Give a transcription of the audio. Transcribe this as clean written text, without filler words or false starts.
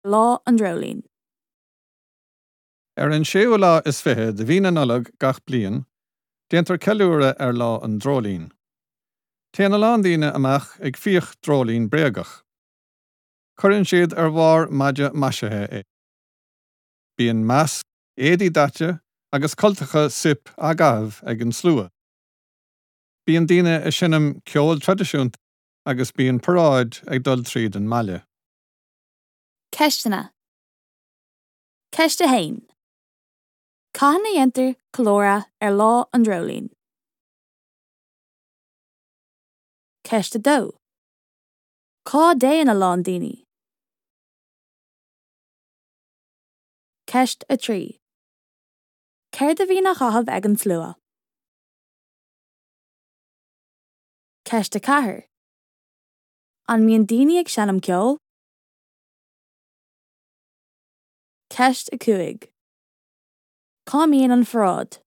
Lá an Dreoilín. Ar an séú lá is 20 de mhí na Nollag gach bliain, déantar ceiliúradh ar Lá an Dreoilín. Téann a lán daoine amach ag fiach dreoilín bréagach. Cuireann siad ar bharr maide maisithe é. Bíonn masc, éadaí daite agus cultacha soip á gcaitheamh ag an slua. Bíonn daoine ag seinm ceol traidisiúnta agus bíonn paráid ag dul tríd an mbaile. Ceisteanna. Ceist 1. Cathain a dhéantar ceiliúradh ar Lá an Dreoilín? Ceist 2. Cá dtéann a lán daoine? Ceist 3. Céard a bhíonn á chaitheamh ag an slua? Ceist 4. An mbíonn daoine ag seinm ceoil? Ceist 5. Cá mbíonn an pharáid?